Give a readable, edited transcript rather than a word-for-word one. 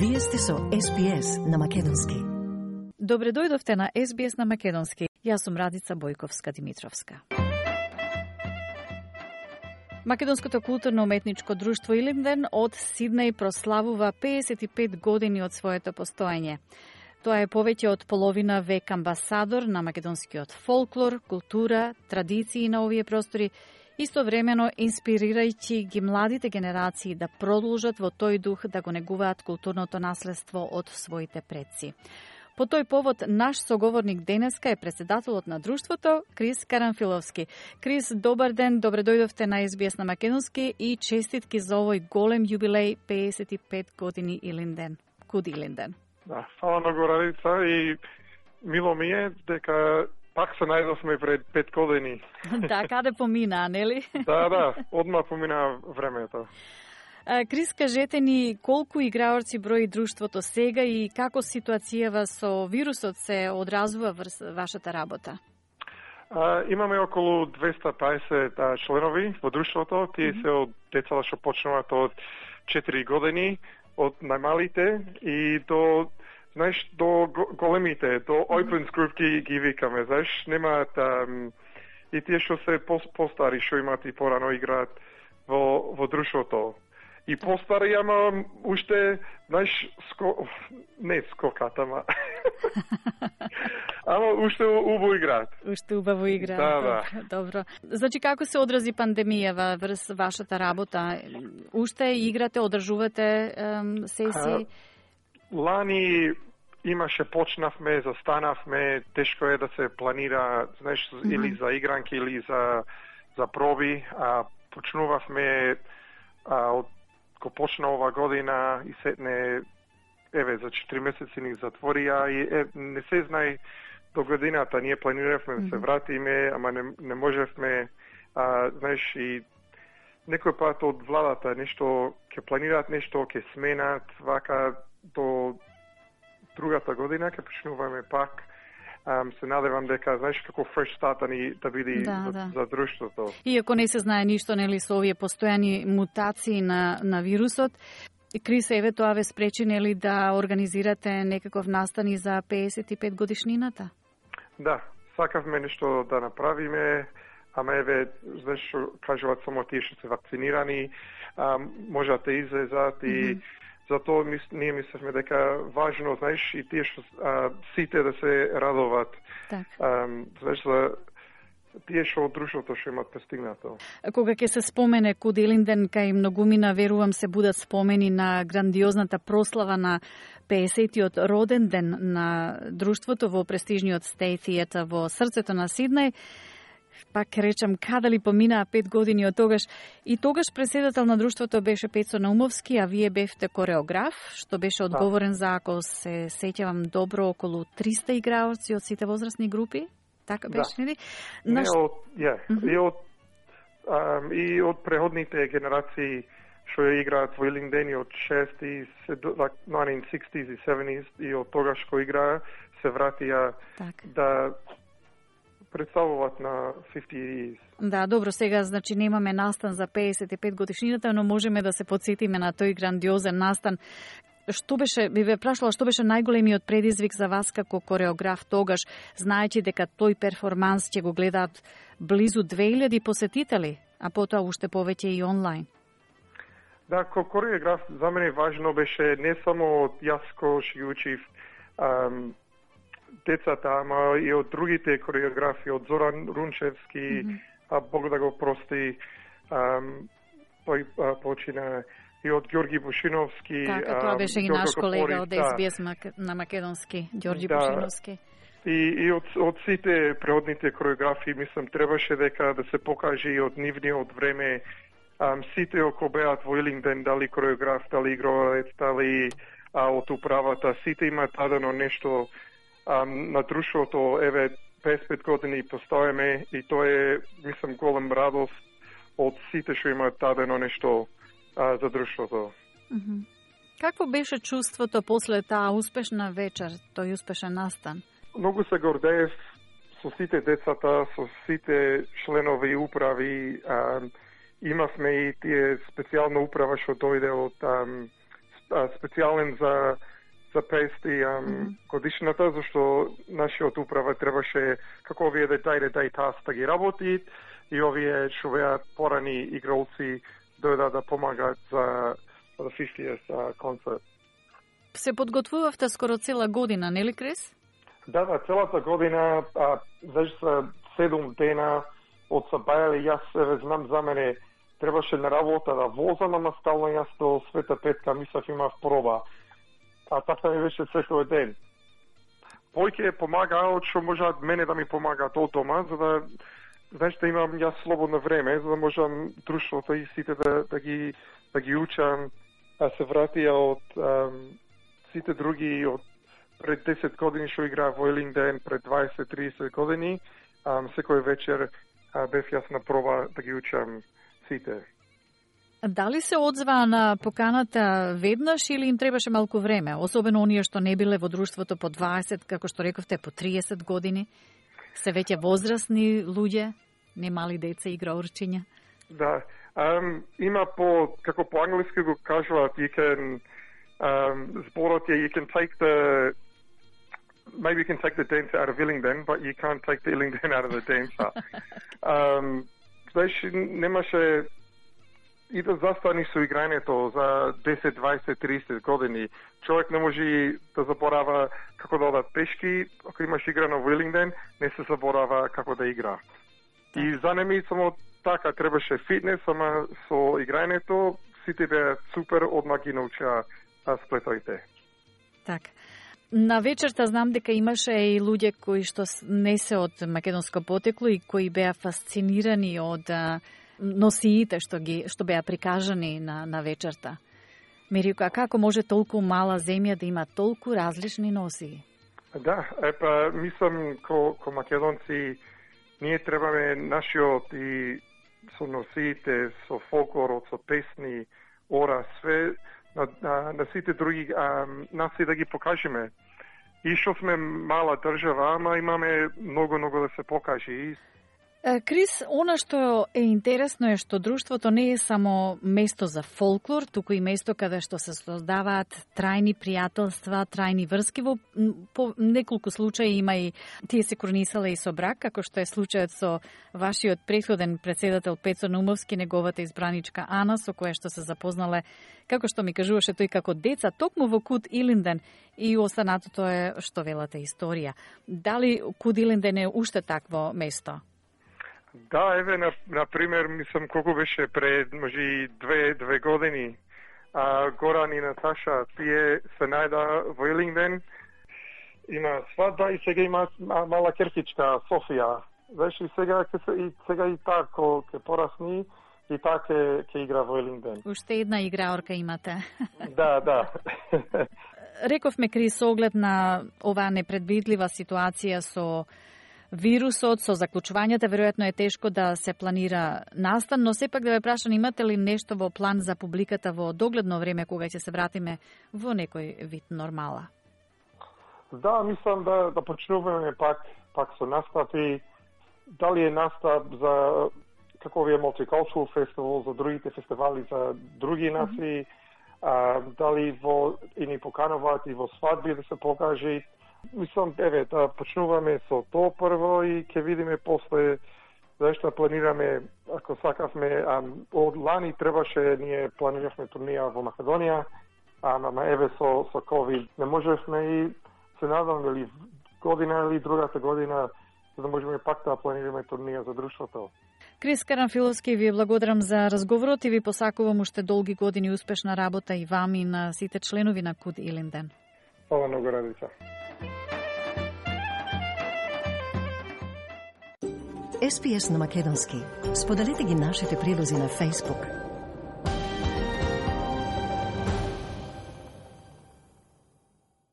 Вие сте со SBS на македонски. Добре дојдовте на SBS на македонски. Јас сум Радица Бојковска-Димитровска. Македонското културно-уметничко друштво Илинден од Сиднеј прославува 55 години од своето постоење. Тоа е повеќе од половина век амбасадор на македонскиот фолклор, култура, традиции на овие простори, истовремено инспирирајќи ги младите генерации да продолжат во тој дух да го негуваат културното наследство од своите предци. По тој повод, наш соговорник денеска е председателот на друштвото, Крис Карамфиловски. Крис, добар ден, добре дојдовте на SBS на македонски и честитки за овој голем јубилеј 55 години Илинден. Куд Илинден? Да, фала многу, Радица, и мило ми е дека пак се најдовме пред 5 години. Да, каде помина, нели? Да, одма помина времето. Крис, кажете ни колку играорци брои друштвото сега и како ситуацијава со вирусот се одразува врз вашата работа? Имаме околу 250 членови во друштвото. Тие се од децата што почнуваат од 4 години, од најмалите и до, знаеш, до големите, до Opens Group ги викаме, знаеш, немаат и тие што се постари, што имаат и порано играат во друштвото. И постари, ама уште, знаеш, не скокат, ама ама уште убаво играат. Уште убаво играат, да. Добро. Значи, како се одрази пандемијава врз вашата работа? Уште играте, одржувате сесии? Лани имаше, почнавме, застанавме, тешко е да се планира, знаеш, или за игранки, или за проби, почнувавме од ко почна ова година и сетне, за 4 месеци ни затворија и не се знае до годината. Ние планиравме да се вратиме, ама не можевме, знаеш, и некој пат од владата нешто, ќе планираат нешто, ќе сменат, вака до другата година, ќе почнуваме пак. Се надевам дека, знаеш, како fresh start ни да биде за друштвото. Иако не се знае ништо, нели, со овие постојани мутации на вирусот, Крис, еве тоа ве спречи, нели, да организирате некаков настан и за 55 годишнината? Да, сакавме нешто да направиме, ама еве, знаеш, кажуваат само тие што се вакцинирани, можат да излезат и затоа ние мислевме дека важно, знаеш, и тие што сите да се радоват. Знаеш, за тие што од друштвото што имат постигнато. Кога ќе се спомене Куд Илинден, кај многумина, верувам, се будат спомени на грандиозната прослава на 50-тиот роден ден на друштвото во престижниот State Theatre во срцето на Сиднеј. Пак речам, каде ли поминаа 5 години од тогаш. И тогаш преседател на друштвото беше Пецо Наумовски, а вие бевте кореограф, што беше одговорен за, ако се сеќавам добро, околу 300 играорци од сите возрастни групи. Така беше, нели? И од преходните генерации што ја играат во Илинден и од 1960s и 70s и од тогаш кој играа се вратија да представуваат на 50 years. Да, добро, сега значи немаме настан за 55 годишнината, но можеме да се подсетиме на тој грандиозен настан. Што беше, би ве прашала, што беше најголемиот предизвик за вас како кореограф тогаш, знаејќи дека тој перформанс ќе го гледаат близу 2000 посетители, а потоа уште повеќе и онлайн? Да, како кореограф за мене важно беше не само јас кој што ги учив децата, ама и од другите кореографи, од Зоран Рунчевски, Бог да го прости, тој почина и од Ѓорги Бушиновски. Така, тоа беше и наш колега од SBS на македонски, Ѓорги Бушиновски. И од сите преодните кореографи, мислам, требаше дека да се покаже и од нивниот време сите околу беат во Илинден, дали кореограф, дали игровец, дали од управата, сите имаат дадено нешто на друштвото, 55 години постоеме и тоа е, мислам, голем радост од сите што имаат дадено нешто за друштвото. Какво беше чувството после таа успешна вечер, тој успешен настан? Многу се гордеев со сите децата, со сите членови управи. Имавме и тие специјална управа што дојде од специјален за 50 годишната, зашто нашиот управа требаше како овие да тас да ги работи и овие што беа порани игралци дојдат да помагаат за 50th концерт. Се подготвувавте скоро цела година, нели Крис? Да, целата година, веќе се 7 дена од Сабајале, јас знам за мене, требаше на работа да возам, ама стално јас до Света Петка мислев имав проба. А така ми беше секој ден. Појќе помагаат што можат мене да ми помагаат од дома, за да знаеш да имам јас слободно време, за да можам друштвото и сите да ги учам, а се вратија од сите други од пред 10 години што играа во Илинден, пред 20-30 години, секој вечер бев јас на проба да ги учам сите. Дали се одзва на поканата веднаш или им требаше малку време? Особено оние што не биле во друштвото по 20, како што рековте, по 30 години? Се веќе возрастни луѓе, не мали деца и играурчиња? Да. Има како по англиски го кажуваат, зборот е, you can take the dancer out of Illingdon, but you can't take the Illingdon out of the dancer. Знаеш, немаше и да застани со играњето за 10, 20, 30 години. Човек не може да заборава како да одат пешки, ако имаш играно во Илинден, не се заборава како да игра. И за неми само така требаше фитнес, ама со играњето сите беа супер, одма ги научаа сплетоите. Така. На вечерта знам дека имаше и луѓе кои што не се од македонско потекло и кои беа фасцинирани од носиите што беа прикажани на вечерта. Мерико, како може толку мала земја да има толку различни носии? Да, мислам ко македонци ние требаме нашиот и со носиите, со фолклорот, со песни, ора, све на сите други нации да ги покажеме. И што сме мала држава, ама имаме многу да се покаже. Крис, она што е интересно е што друштвото не е само место за фолклор, туку и место каде што се создаваат трајни пријателства, трајни врски. Во неколку случаи има и тие се кронисале и со брак, како што е случајот со вашиот претходен председател Пецо Наумовски, неговата избраничка Ана, со која што се запознале, како што ми кажуваше тој како деца, токму во Куд Илинден, и останатото е што велата историја. Дали Куд Илинден е уште такво место? Да, еве, на пример, мислам колку беше пред, може, две години, Горан и Наташа, тие се најда во Илинден, има свадба и сега има мала керкичка, Софија. Знаеш, и сега и таа ке порасни, и таа ке игра во Илинден. Уште една играорка имате. Да. Рековме, Крис, со оглед на оваа непредвидлива ситуација со вирусот, со заклучувањата, веројатно е тешко да се планира настан, но сепак да ве прашам, имате ли нешто во план за публиката во догледно време кога ќе се вратиме во некој вид нормала? Да, мислам да почнуваме пак со настапи. Дали е настап за како овие Multicultural Festival, за другите фестивали за други нации, дали и ни покануваат и во свадби да се покаже. Мислам, да почнуваме со тоа прво и ќе видиме после зашто планираме, ако сакавме, од лани требаше, ние планиравме турнија во Македонија, ама еве со COVID не можевме и се надам дали година или другата година за да можеме пак да планираме турнија за друштвото. Крис Карамфиловски, ви благодарам за разговорот и ви посакувам уште долги години успешна работа и вам и на сите членови на Куд Илинден. Фала многу, Радица. SPS на македонски. Споделете ги нашите прилози на Facebook.